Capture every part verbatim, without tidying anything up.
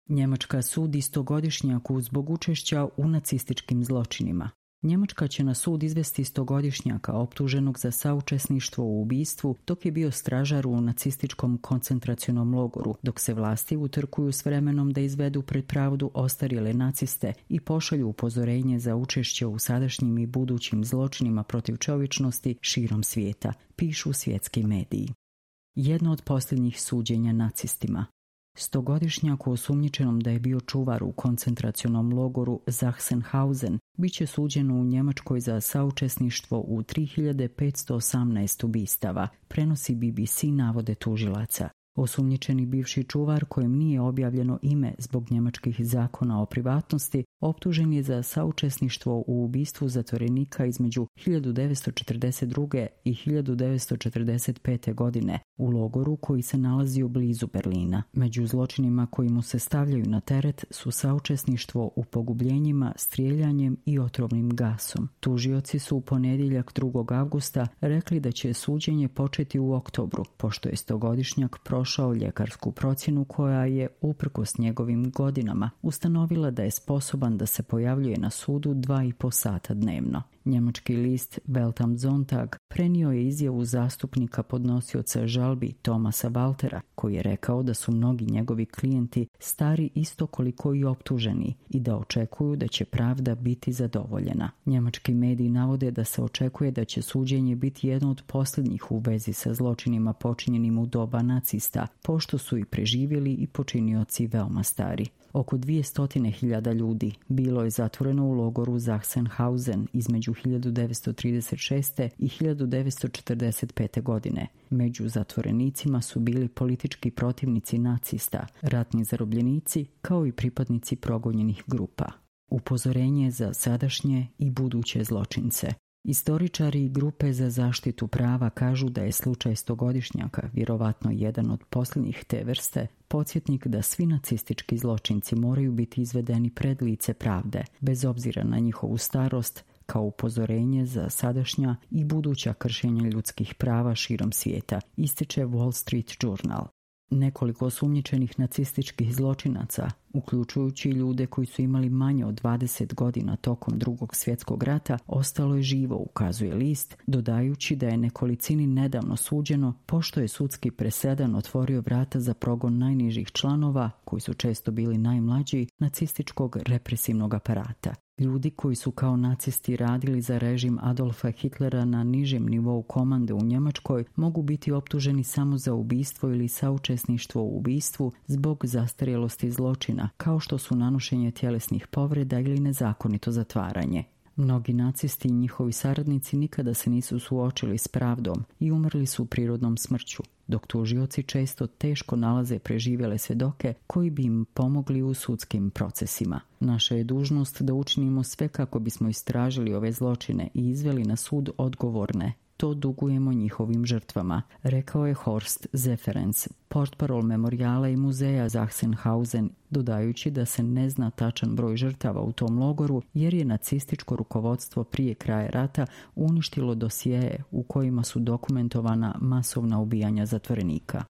Njemačka sudi stogodišnjaku zbog učešća u nacističkim zločinima. Njemačka će na sud izvesti stogodišnjaka optuženog za saučesništvo u ubistvu dok je bio stražar u nacističkom koncentracionom logoru, dok se vlasti utrkuju s vremenom da izvedu pred pravdu ostarjele naciste i pošalju upozorenje za učešće u sadašnjim i budućim zločinima protiv čovječnosti širom svijeta, pišu svjetski mediji. Jedno od posljednjih suđenja nacistima. Stogodišnjaku osumnjičenom da je bio čuvar u koncentracionom logoru Sachsenhausen bit će suđen u Njemačkoj za saučesništvo u tri hiljade petsto osamnaest ubistava, prenosi B B C navode tužilaca. Osumnjičeni bivši čuvar kojem nije objavljeno ime zbog njemačkih zakona o privatnosti, optužen je za saučesništvo u ubistvu zatvorenika između hiljadu devetsto četrdeset druge. i hiljadu devetsto četrdeset pete. godine u logoru koji se nalazio blizu Berlina. Među zločinima koji mu se stavljaju na teret su saučesništvo u pogubljenjima, strijeljanjem i otrovnim gasom. Tužioci su u ponedjeljak drugog avgusta rekli da će suđenje početi u oktobru, pošto je stogodišnjak prošao ljekarsku procjenu koja je, uprkos njegovim godinama, ustanovila da je sposoban da se pojavljuje na sudu dva i po sata dnevno. Njemački list Welt am Sonntag prenio je izjavu zastupnika podnosioca žalbi Thomasa Waltera, koji je rekao da su mnogi njegovi klijenti stari isto koliko i optuženi i da očekuju da će pravda biti zadovoljena. Njemački mediji navode da se očekuje da će suđenje biti jedno od posljednjih u vezi sa zločinima počinjenim u doba nacista, pošto su i preživjeli i počinioci veoma stari. Oko dvjesto hiljada ljudi bilo je zatvoreno u logoru Sachsenhausen između hiljadu devetsto trideset šeste. i hiljadu devetsto četrdeset pete. godine. Među zatvorenicima su bili politički protivnici nacista, ratni zarobljenici kao i pripadnici progonjenih grupa. Upozorenje za sadašnje i buduće zločince. Istoričari i grupe za zaštitu prava kažu da je slučaj stogodišnjaka, vjerovatno jedan od posljednjih te vrste, podsjetnik da svi nacistički zločinci moraju biti izvedeni pred lice pravde, bez obzira na njihovu starost, kao upozorenje za sadašnja i buduća kršenja ljudskih prava širom svijeta, ističe Wall Street Journal. Nekoliko osumnjičenih nacističkih zločinaca, uključujući ljude koji su imali manje od dvadeset godina tokom Drugog svjetskog rata, ostalo je živo, ukazuje list, dodajući da je nekolicini nedavno suđeno, pošto je sudski presedan otvorio vrata za progon najnižih članova, koji su često bili najmlađi, nacističkog represivnog aparata. Ljudi koji su kao nacisti radili za režim Adolfa Hitlera na nižem nivou komande u Njemačkoj mogu biti optuženi samo za ubistvo ili saučesništvo u ubistvu zbog zastarjelosti zločina, kao što su nanošenje tjelesnih povreda ili nezakonito zatvaranje. Mnogi nacisti i njihovi saradnici nikada se nisu suočili s pravdom i umrli su prirodnom smrću, dok tužioci često teško nalaze preživjele svjedoke koji bi im pomogli u sudskim procesima. Naša je dužnost da učinimo sve kako bismo istražili ove zločine i izveli na sud odgovorne. To dugujemo njihovim žrtvama, rekao je Horst Zeferens, portparol memorijala i muzeja Sachsenhausen, dodajući da se ne zna tačan broj žrtava u tom logoru jer je nacističko rukovodstvo prije kraja rata uništilo dosjeje u kojima su dokumentovana masovna ubijanja zatvorenika.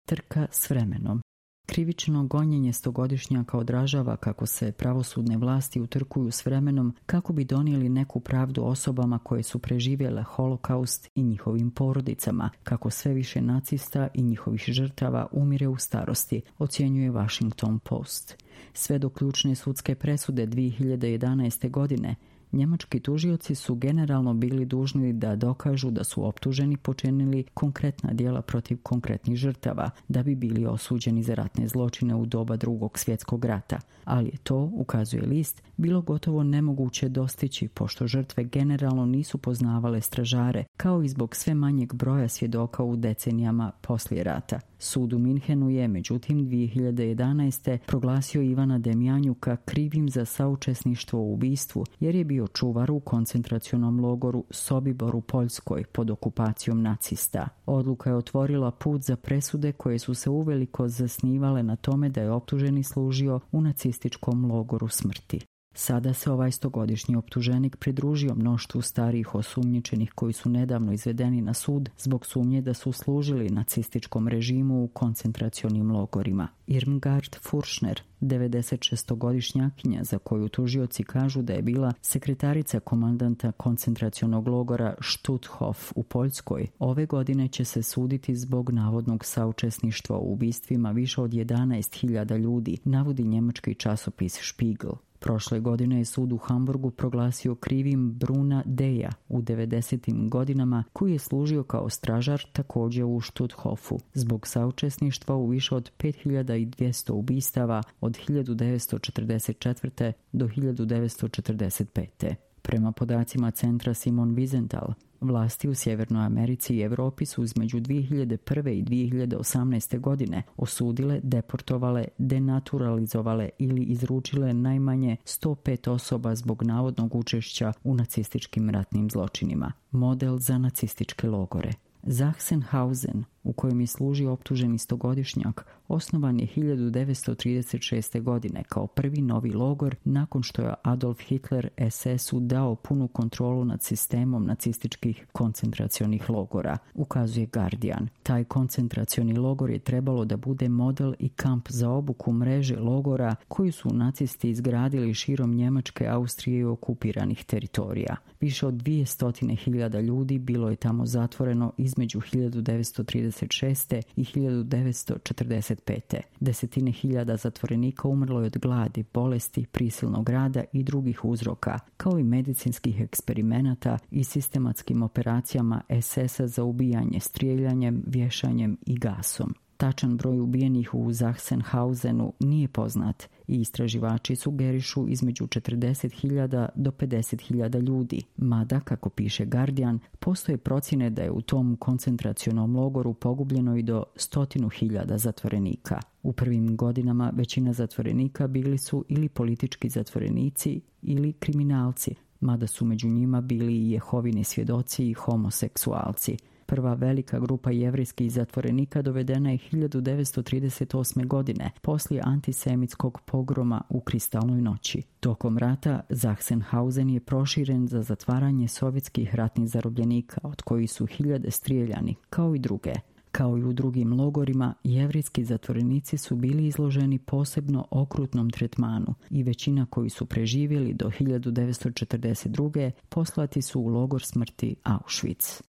Trka s vremenom. Krivično gonjenje stogodišnjaka odražava kako se pravosudne vlasti utrkuju s vremenom kako bi donijeli neku pravdu osobama koje su preživjele holokaust i njihovim porodicama, kako sve više nacista i njihovih žrtava umire u starosti, ocjenjuje Washington Post. Sve do ključne sudske presude dvije hiljade jedanaeste. godine, njemački tužioci su generalno bili dužni da dokažu da su optuženi počinili konkretna djela protiv konkretnih žrtava, da bi bili osuđeni za ratne zločine u doba Drugog svjetskog rata, ali je to, ukazuje list, bilo gotovo nemoguće dostići pošto žrtve generalno nisu poznavale stražare, kao i zbog sve manjeg broja svjedoka u decenijama poslije rata. Sud u Minhenu je, međutim, dvije hiljade jedanaeste. proglasio Ivana Demjanjuka krivim za saučesništvo u ubistvu, jer je bio čuvar u koncentracionom logoru Sobibor u Poljskoj pod okupacijom nacista. Odluka je otvorila put za presude koje su se uveliko zasnivale na tome da je optuženi služio u nacističkom logoru smrti. Sada se ovaj stogodišnji optuženik pridružio mnoštvu starijih osumnjičenih koji su nedavno izvedeni na sud zbog sumnje da su služili nacističkom režimu u koncentracionim logorima. Irmgard Furšner, devedesetšestogodišnjakinja za koju tužioci kažu da je bila sekretarica komandanta koncentracionog logora Stutthof u Poljskoj, ove godine će se suditi zbog navodnog saučesništva u ubistvima više od jedanaest hiljada ljudi, navodi njemački časopis Spiegel. Prošle godine je sud u Hamburgu proglasio krivim Bruna Deja u devedesetim godinama, koji je služio kao stražar također u Stutthofu, zbog saučesništva u više od pet hiljada dvjesto ubistava od hiljadu devetsto četrdeset četvrte. do hiljadu devetsto četrdeset pete. Prema podacima centra Simon Wiesenthal, vlasti u Sjevernoj Americi i Europi su između dvije hiljade prve i dvije hiljade osamnaeste. godine osudile, deportovale, denaturalizovale ili izručile najmanje sto pet osoba zbog navodnog učešća u nacističkim ratnim zločinima. Model za nacističke logore. Sachsenhausen, u kojem je služio optuženi stogodišnjak, osnovan je hiljadu devetsto trideset šeste. godine kao prvi novi logor nakon što je Adolf Hitler es es u dao punu kontrolu nad sistemom nacističkih koncentracionih logora, ukazuje Guardian. Taj koncentracioni logor je trebalo da bude model i kamp za obuku mreže logora koju su nacisti izgradili širom Njemačke, Austrije i okupiranih teritorija. Više od dvjesto hiljada ljudi bilo je tamo zatvoreno između hiljadu devetsto trideset šeste. i hiljadu devetsto četrdeset pete. Desetine hiljada zatvorenika umrlo je od gladi, bolesti, prisilnog rada i drugih uzroka, kao i medicinskih eksperimenata i sistematskim operacijama es es-a za ubijanje strijeljanjem, vješanjem i gasom. Tačan broj ubijenih u Sachsenhausenu nije poznat i istraživači sugerišu između četrdeset hiljada do pedeset hiljada ljudi, mada, kako piše Guardian, postoje procjene da je u tom koncentracionom logoru pogubljeno i do stotinu hiljada zatvorenika. U prvim godinama većina zatvorenika bili su ili politički zatvorenici ili kriminalci, mada su među njima bili i Jehovini svjedoci i homoseksualci. Prva velika grupa jevrijskih zatvorenika dovedena je hiljadu devetsto trideset osme. godine, poslije antisemitskog pogroma u Kristalnoj noći. Tokom rata Sachsenhausen je proširen za zatvaranje sovjetskih ratnih zarobljenika, od kojih su hiljade strijeljani, kao i druge. Kao i u drugim logorima, jevrijski zatvorenici su bili izloženi posebno okrutnom tretmanu i većina koji su preživjeli do hiljadu devetsto četrdeset druge. poslati su u logor smrti Auschwitz.